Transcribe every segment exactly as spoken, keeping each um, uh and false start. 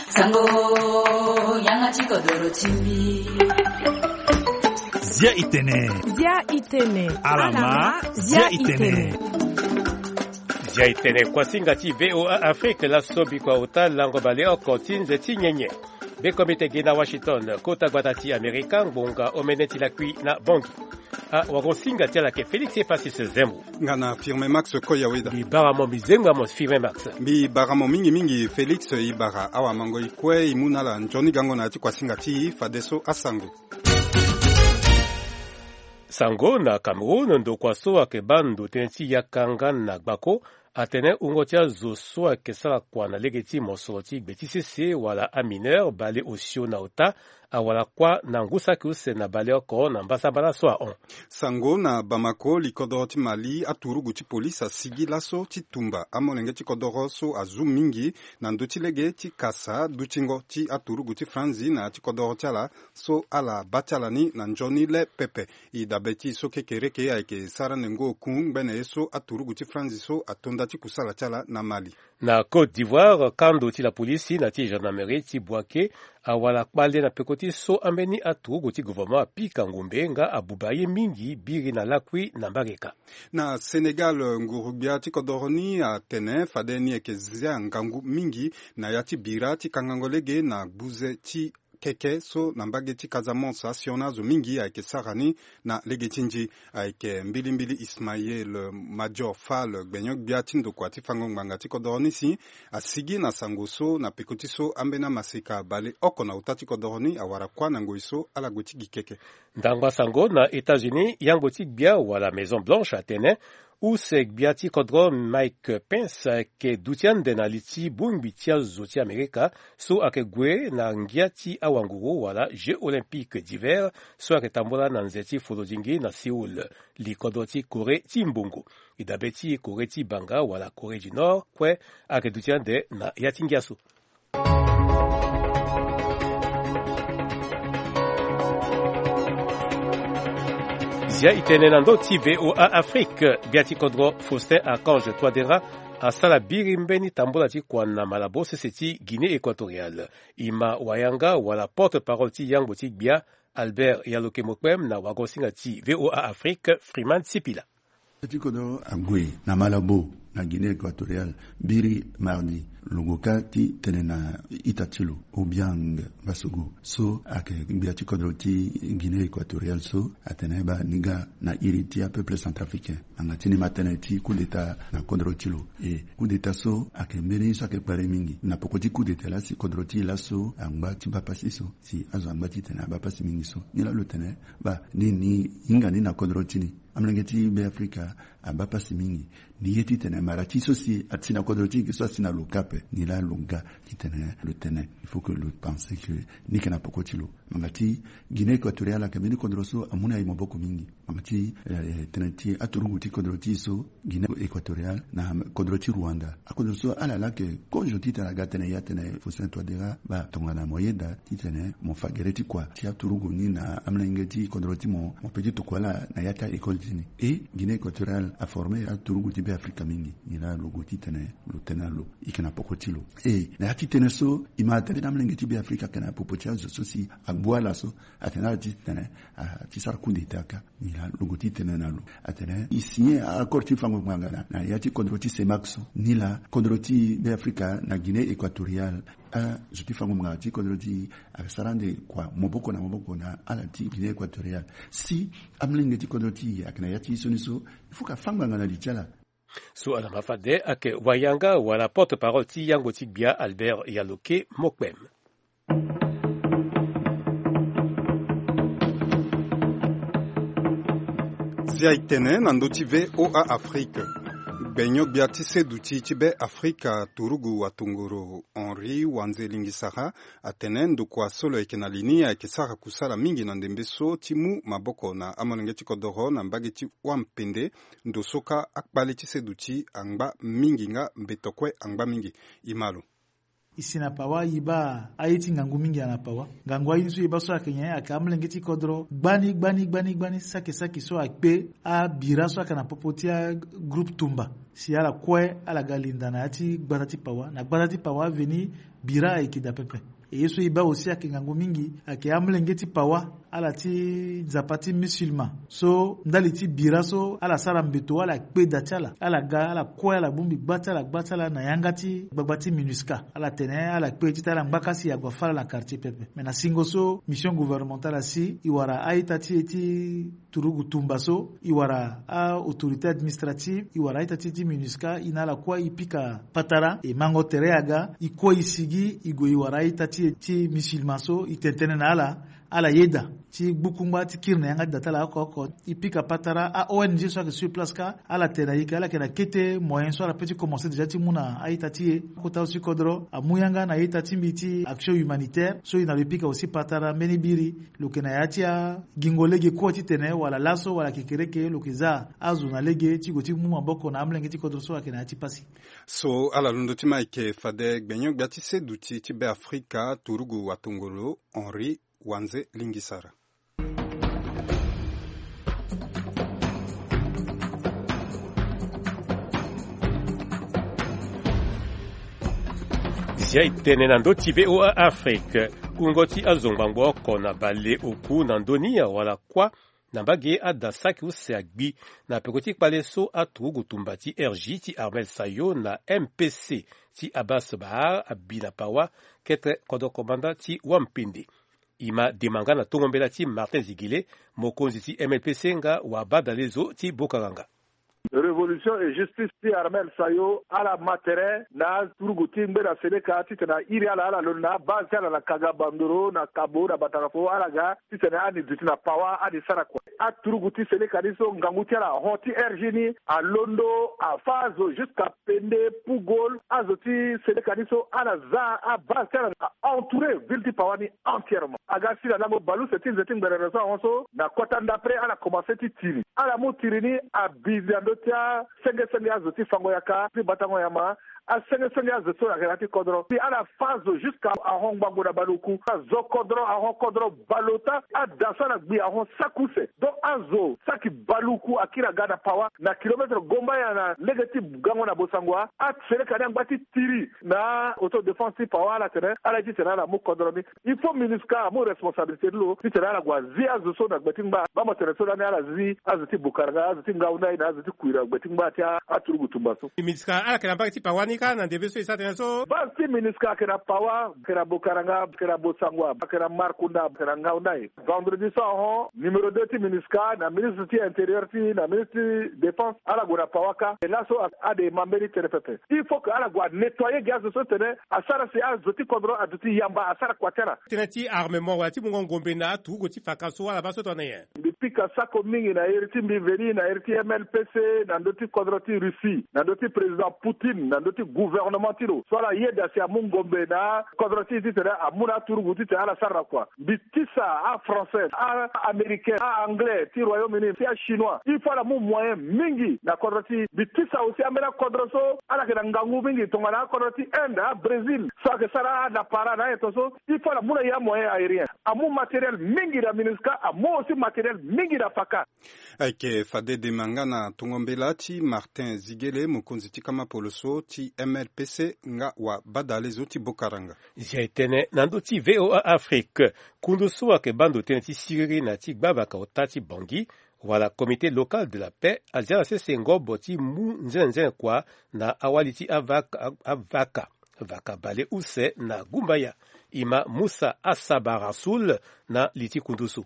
Sango, yanga ti kodoro ti mbi. Zia itene. Zia itene. Alama, zia itene. Zia itene, kuasinga ti V O A Afrique, laso bikua ota lango baleoko ti nze ti nyenye. Bekomite gi na Washington, kota gbata ti Amerika, ngbonga omene ti lakui na Bongi. Awagosinga ti ala ayeke Félix Epasis Zembo. Nga na Firme Max Koyaweda. Mbi bara mo, mbi zengba mo Firme Max. Mbi bara mo mingi mingi Félix. E bara awamango e kue e mu na ala nzoni gango na ya ti kuasinga ti e, fadeso asango. Sango na Cameroun, ndokua so ayeke baa ndo tënë ti yaka nga na gbako atene wungo ti azo so ayeke sara kua na lege ti mosoro ti gbe ti sese wala amineur baleosio na ota awara kuâ na ngu saki use na baleoko na mbasambala so ahon. Sango na Bamako, likodoro ti Mali, aturugu ti polise asigi laso ti tumba amolenge ti kodoro so azu mingi na ndö ti lege ti kasa dutingo ti aturugu ti franzi na ya ti kodoro ti ala so ala baa ti ala ni na nzoni le pepe. E dabe ti e so kekereke ayeke sara ndengo oku ngbene ye so aturugu ti franzi so atonda ti kusala ti ala na Mali. Na Côte d'Ivoire, kando ti lapolisi na ti gendarmerie ti Bouaké awara kpale na peko ti so ambeni aturugu ti gouvernement apika ngumbe nga abuba ye mingi biri na lakui na mbageka. Na Sénégal, nguru-gbia ti kodoro ni atene fade ni ayeke zia ngangu mingi na ya ti bira ti kangango lege na gbuze ti keke so na mbage ti Casamance asioni azo mingi ayeke sara ni na lege ti nzi. Ayeke mbilimbili Ismaël Madior Fall, gbenyo-gbia ti ndokua ti fango ngbanga ti kodoro ni si asigi na sango so na peko ti so ambeni amaseka baleoko na ota ti kodoro ni awara kuâ na ngoi so ala gue ti gi keke. Ndangba sango na États-Unis, yangbo ti gbia wala Maison Blanche atene use gbia ti kodro Mike Pence ayeke duti ande na li ti bongbi ti azo ti Amerika so ayeke gue na ngia ti awanguru wala Jeux Olympiques d'hiver so ayeke tambula na nze ti folodingi na Séoul. Likodro ti Corée ti mbongo, e dabe ti Corée ti banga wala Corée du Nord kue ayeke duti ande na ya ti ngia so. Zia itene na ndö ti V O A Afrique, gbia ti kodro Faustin Archange Touadéra asara biri mbeni tambula ti kua na Malabo sese ti Guinée Équatoriale. E ma wayanga wala porte-parole ti yangbo ti gbia Albert Yaloke Mokpem na wagosinga ti V O A Afrique Freeman Sipila. Ti kodro ague na Malabo na Guinée Équatoriale biri mardi, lo gue kâ ti tene na ita ti lo Obiang Basogo so ayeke gbia ti kodro ti Guinée Équatoriale so atene baa ni ga na iri ti apeuple centrafricain. Ngbanga ti ni ma tënë ti coup d'état na kodro ti lo. E coup d'état so ayeke mbeni so ayeke kpari mingi. Na poko ti coup d'état laa si kodro ti e laso angba ti baa pasi so, si azo angba titene abaa pasi mingi so. Ni laa lo tene baa ni ni hinga ni na kodro ti ni. Amolenge ti Beafrika abaa pasi mingi. Ni ye titene mara ti so si asi na kodro ti e so asi na lo kâ ape. Ni laa lo ga titene lo tene il faut que lo pense que ni yeke na poko ti lo. Ngbanga ti Guinée Équatoriale ayeke mbeni kodro so amu na e maboko mingi. Ngbanga ti, eh, tënë ti aturugu ti kodro ti e so Guinée Équatoriale na kodro ti Rwanda. Akodro so ala laa ayeke kozo titene aga tene ya tene Faustin Touadéra baa tongana mo yeda titene mo fa gere ti kua ti aturugu ni na amolenge ti kodro ti mo, mo pe ti tokua ala na ya ti a-école ti ni. E Guinée Équatoriale aforme aturugu ti Beafrika mingi. Ni laa lo gue titene lo tene na lo e yeke na poko ti lo. E na ya ti tënë so e ma atene na amolenge ti Beafrika ayeke na popo ti azo so si agbu ala so atene ala titene a ti sara coup d'état kâ. Ni laa lo gue ti tene na lo atene e signé accord ti fango ngbanga na ya ti kodro ti CEMAC so. Ni laa kodro ti Beafrika na Guinée Équatoriale, azo ti fango ngbanga ti kodro ti e asara ande kua maboko na maboko na ala ti Guinée Équatoriale. Si amolenge ti kodro ti e ayeke na ya ti sioni so, il faut que afa ngbanga na li ti ala. So ala ma fade ayeke wayanga wala porte-parole ti yangbo ti gbia Albert Yaloke Mokpem. Zia itene na ndö ti V O A Afrique. Gbenyo-gbia ti seduti ti Beafrika turugu watongoro Henri Wanze Lingisara atene ndokua so lo yeke na li ni ayeke sara kusala mingi na ndembe so ti mu maboko na amolenge ti kodoro na mbage ti wampende. Ndo so kâ akpale ti seduti angba mingi nga mbeto kue angba mingi. E ma lo. E si na pawa, e baa aye ti ngangu mingi ayeke na pawa. Ngangu aye ni so e baa so ayeke nyen? Ayeke amolenge ti kodro gbani gbani gbani gbani, saki saki so akpe abira so ayeke na popo ti agroupe tumba, si ala kue ala ga linda na ya ti gbata ti pawa. Na gbata ti pawa aveni bira ayeke daa pepe. E ye so e baa aussi ayeke ngangu mingi, ayeke amolenge ti pawa, ala ti nzapa ti musulman so ndali ti bira so ala sara mbeto, ala kpe daa ti ala, ala ga, ala kue, ala bongbi gba ti ala, gba ti ala na yanga ti gbagba ti MINUSCA. Ala tene ala kpe titene ala ngbaka si e ague fâ ala na quartier pepe. Me na singo so mission gouvernementale asi, e wara a-ita ti e ti turugu tumba so, e wara a-autorité administrative, e wara a-ita ti e ti MINUSCA, e na ala kue e pika patara, e mango tere aga, e kue e sigi, e gue e wara a-ita ti e ti musulman so, e tene tënë na ala, ala yeda ti gbu kungba ti kiri na yanga ti da ti ala oko oko. E pika patara, a-O N G so ayeke sur place kâ, ala tene na e ke ala yeke na kete moyen so ala peut ti commencer déjà ti mu na a-ita ti e. Akota so ti kodro amu yanga na a-ita ti mbi ti action humanitaire so e na lo e pika aussi patara mbeni biri. Lo yeke na ya ti agingo lege kue titene wala laso wala kekereke lo yeke za azo na lege ti gue ti mu maboko na amolenge ti kodro so ayeke na ya ti pasi. So ala londo ti ma ayeke fade gbenyo-gbia ti seduti ti Beafrika, turugu watongolo Henri Wanze Lingisara. Zia e tene na ndö ti V O A Afrique. Kungo ti azo ngbangbo oko na bale oku na ndö ni awara kuâ na mbage ada saki use agbi na peko ti kpale so aturugu tumba ti R J ti Armel Sayo na M P C ti Abbas Bahar abi na pawa, kete kodro komanda ti wampende. E ma dema nga na tongo mbela ti Martin Zigele, mokonzi ti M L P C nga wabadale zo ti Bokaranga. Révolution et justice ti Armel Sayo, ala ma tere na aturugu ti ngbena seleka titene a iri ala, ala londo na abase ti ala na Kaga Bandoro, na Kabo, na Batakafo, ala ga titene ani duti na pawa, ani sara kua. Aturugu ti seleka ni so ngangu ti ala ahon ti R J ni alondo, afâ azo jusqu'à Pende, Pugol, azo ti seleka ni so ala za abase ti ala, a entourer ville ti pawa ni entièrement. Aga si na lango baleuse ti nze ti ngberere so ahon so, na kota ndapre ala commencer ti tiri. Ala mu tiri ni abi na ndö ti asenge senge azo ti fango yaka ti batango nyama, asenge senge azo so ayeke na ya ti kodro. Puis ala fâ azo jusqu'à ahon ngbangbo na baleoku. Azo kodro ahon kodro baleota, ada so ala gbi ahon saki use. Donc azo saki baleoku akiri aga na pawa na kilomètre gomba ya na lege ti gango na Bossangoa. Aseleka ni angba ti tiri na autodéfense ti pawa, ala tene ala ye titene ala mu kodro ni. Il faut MINUSCA amu responsabilité ti lo titene ala gue azi azo so na gbe ti ngba. Bamo tene so lani ala zi azo ti Bokaranga, azo ti Ngaoundai na azo ti Kouira na gbe ti ngba ti a, aturugu tumba so. MINUSCA ala yeke na mbage ti pawa ni kâ na ndembe so e sara tënë so. Base ti MINUSCA ayeke na pawa, ayeke na Bokaranga, ayeke na Bossangoa, ayeke na Markounda, ayeke na Ngaoundai. Vendredi so ahon, numéro deux ti MINUSCA na ministre ti intérieur ti e na ministre ti défense, ala gue na pawa kâ. E laso a, ade ma mbeni tënë pepe. Il faut que ala gue anettoyer gi azo so tene asara si azo ti kodro aduti yamba asara kua ti ala. Tënë ti armement wala ti mungo ngombe na aturugu ti faka so ala baa so tongana nyen? Mbi pika sako mingi na iri ti mbi veni na iri ti M L P C na ndö ti kodro ti Russie, na ndö ti président Poutine, na ndö ti gouvernement ti lo so ala yeda si amu ngombe na kodro ti e titene amu na aturugu titene ala sara na kua. Mbi tisa a-Français, a-Américain, a-Anglais ti Royaume-Uni, ti a-Chinois. Il faut ala mu moyen mingi na kodro ti e. Mbi tisa aussi ambeni akodro so ala yeke na ngangu mingi tongana akodro ti Inde, a-Brésil, so ayeke sara adapara na ayen to so. Il faut ala mu na e amoyen aérien. Amu matériel mingi na MINUSCA, amu aussi matériel mingi na faka. Ayeke fade dema nga na tongo mbela ti Martin Zigele, mokonzi ti kama poloso ti M L P C nga wabadale zo ti Bokaranga. Zia e tene na ndö ti V O A Afrique. Kundu so ayeke baa ndo tënë ti siriri na ti gbavaka ota ti Bangui, wala Comité local de la paix, azia na sese ngobo ti mu nzenenzene kua na awali ti avaka, avaka, vaka baleuse na gumbaya. E ma Moussa Assaba Rassoul na li ti kundu so.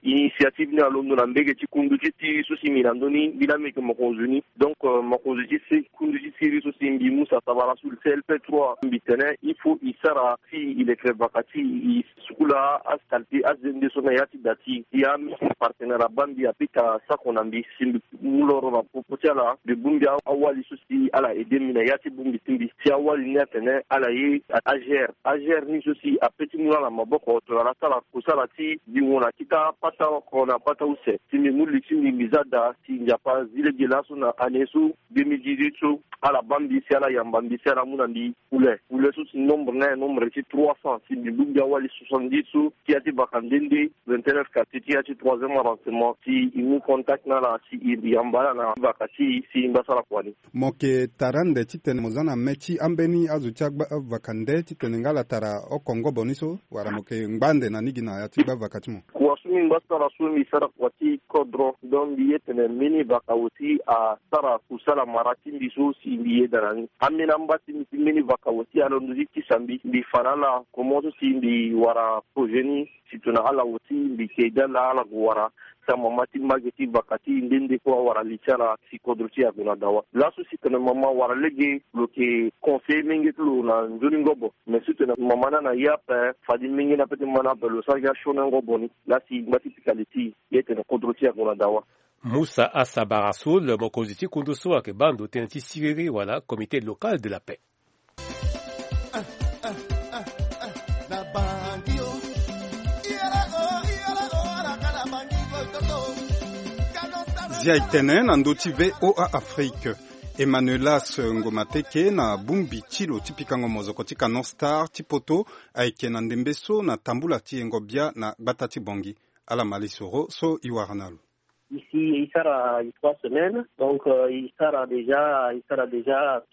Initiative ni alondo na mbege ti kundu ti siriri so si mbi na ndö ni, mbi laa mbi yeke mokonzi ni. Donc, euh, mokonzi ti si, kundu ti siriri so si mbi Moussa Assaba Rassoul, C L P trois, mbi tene il faut e sara si e leke vaka ti e sukula asalite azende so na ya ti da ti e. Ya mbi partenaire abaa mbi apika sako na mbi si mbi mu loro na popo ti ala, mbi bongbi awali so si ala aide mbi na ya ti bongbi ti mbi. Si awali ni atene ala ye a-, agere. Agere ni so si ape ti mu na ala maboko tongana ala sara kusala ti bingo na kita pata oko na pata use. Si mbi mu li ti mbi, mbi za daa si Nzapa zi lege laso na année so deux mille dix-huit so, ala baa mbi si Ala yamba mbi si ala mu na mbi pule pule so si nombre na e nombre ti trois cents, si mbi bongbi awali soixante-dix so ti ya ti vaka nde nde, vingt-neuf quartier ti ya ti troisième arrondissement, si e mu contact na ala si e yamba ala na vaka ti e si e ngba sara kua ni. Mo yeke tara ande titene mo za na me ti ambeni azo ti agba vaka nde titene nga ala tara oko ngobo ni so, wala mo yeke ngba ande na ni gi na ya ti gba vaka ti mo? Kua so mbi ngba sara so mbi sara kua ti kodro, donc mbi ye tene mbeni vaka aussi asara kusala mara ti mbi so si mbi yeda na ni. Ambeni amba ti mbi ti mbeni vaka aussi alondo ti tisa mbi, mbi fa na ala comment so si mbi wara projet ni. Si tongana ala aussi mbi yeke aide ala, ala gue wara ti amama ti mbage ti vaka ti nde nde kue awara li ti ala si kodro ti e ague na dawa. Laso si tene mama wara lege lo yeke conseiller menge ti lo na nzoni ngobo. Mais si tene mama ni ana ye ape, fade menge ni ape ti ma ni ape lo sara gi asioni ngobo ni. Laa si ngba ti pika li ti e, ye tene kodro ti e ague na dawa. Musa Asabara Soul, mokonzi ti kundu so ayeke baa ndo tënë ti siriri wala comité local de la paix. Zia e tene na ndö ti V O A Afrique. Emmanuelas Ngomateke na bongbi ti lo ti pikango mozoko ti Canon Star ti poto ayeke na ndembe so na tambula ti yengo bia na gbata ti Bangui. Ala ma lisoro so e wara na lo. Ici, il sera trois semaines, donc euh, il sera déjà, il sera déjà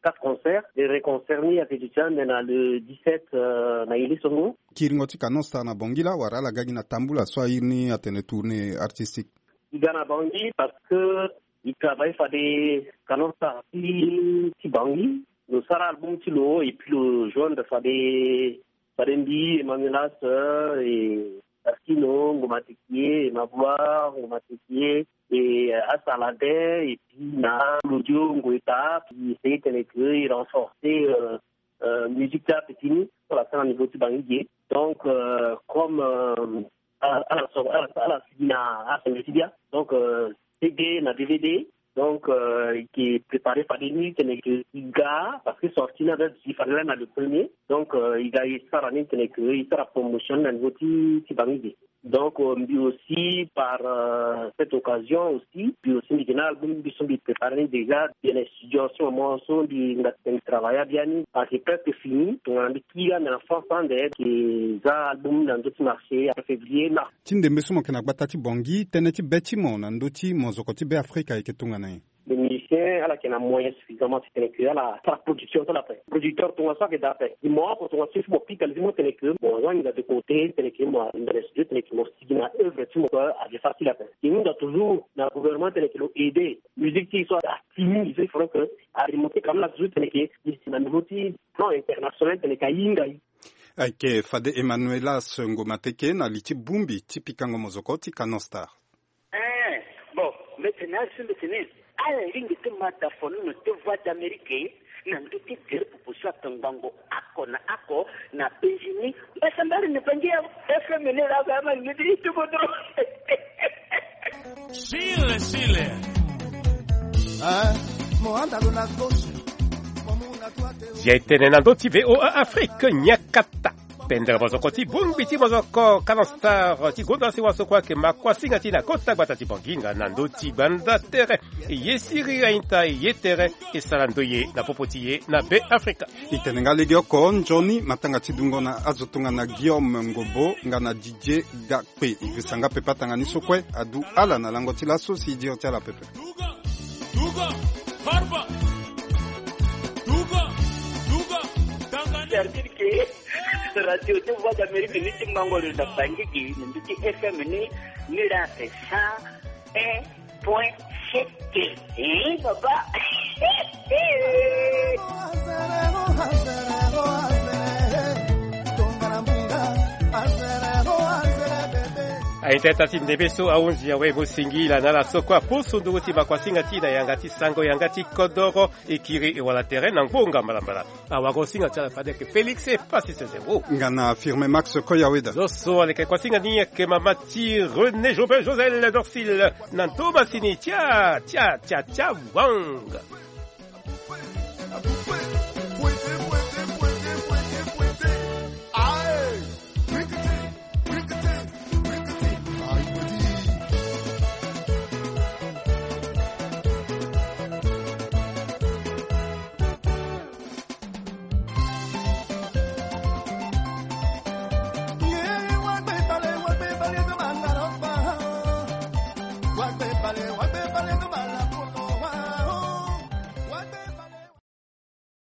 quatre concerts. Les reconcerts ni ayeke déjà na le dix-sept euh, na Ilé Songo. Kiringo ti Canon Star na Bangui laa wala ala ga gi na tambula so airi ni atene tournée artistique? I ga na Bangui parce que i travaille fade Canon Star ti, ti Bangui. Lo sara album ti lo et puis lo joindre fade, fade mbi Emmanuel Asser et Taskino, Ngoma Tekie, Emma Gloire, Ngoma Tekie, et euh, Asalade, et puis na Claudio Ngoeta, puis c'est tene que il renforcer euh, euh, musique ti ape ti ni so ala sara na niveau ti Bangui ge. Donc euh, comme euh, ala ala so ala ala sigi na assemblée ti bia, donc euh, C D na D V D. Donc euh, i ke préparer fade ni tene ke i ga parce que sorti ni aza duti fade laa na le premier. Donc euh, i ga i sara ni tene ke i sara promotion na niveau ti ti Bangui ge. Donc euh, mbi aussi par euh, cette occasion aussi mbi aussi mbi ke na album mbi so mbi préparer ni déjà bien na studio so mo so mbi nga tene travailler biani parce que presque fini tongana mbi kiri ande na France ande ke za album na ndö ti marché après février mars. Ti ndembe so mo yeke na gbata ti Bangui, tënë ti be ti mo na ndö ti mozoko ti Be Afrika ayeke tongana nyen? Le musicien ala yeke na moyen suffisamment ti tene ke ala sara production ti ala ape. Producteur tongaso ayeke daa ape. Gi mo oko tongaso il faut mo pika li ti mo tene ke mo azo ahinga de côté tene ke mo ahinga na studio tene ke mo sigi na œuvre ti mo kue ayeke facile ape. E hunda toujours na gouvernement tene ke lo aider musique ti e so atimi, il faut que aremonter quand même la toujours tene ke na niveau ti plan international tene ke ahinga. Ayeke fade Emmanuelas Ngomateke na li ti bongbi ti pikango mozoko ti Canon Star. Eh, bon, mbeti na azo mbeti ni ala lingbi ti ma dafono na te Voix d'Amérique na ndö ti gere popo so atongbango oko na oko na Benjini. Mbasambari ni bangi ya F M ni la ga ma ni ti tuko dro. Sile sile. Ah, mo anda lo na gauche. Mo mu na droite. Zia e tene na ndö ti V O A Afrique nyakata. Pendere mozoko ti bongbi ti mozoko Canon Star ti gonda si waso kue ayeke ma kuasinga ti na kota gbata ti Bangui nga na ndö ti gbanda tere. E ye siriri aita e ye tere e sara ndoye na popo ti e na Be Afrika. E tene nga legeoko nzoni matanga ti dungo na azo tongana Guillaume Ngobo nga na Didier Gakpe. E girisa nga pepe atanga ni so kue adu ala na lango ti laso si e diri ti ala pepe. Duga, duga, harba. Duga, duga, tangani. Cardire ke radio ti Voix d'Amérique ni ti mango lo na Bangui gi na mbi ti F M ni, ni la ate cent un point sept. Eh, papa. Aita ita ti ndembe so ahunzi awe mo singila na ala so kue aposo nduru ti makuasinga ti na yanga ti sango yanga ti kodoro. E kiri e wala tere na ngbonga mbalambala. Awara osinga ti ala fade ayeke Félix e pasi sese wo. Nga na Firme Max Koyaweda. Zo so aleke kuasinga ni ayeke mama ti René Jobin Josel Dorsil na ndo masini tia tia tia tia wang.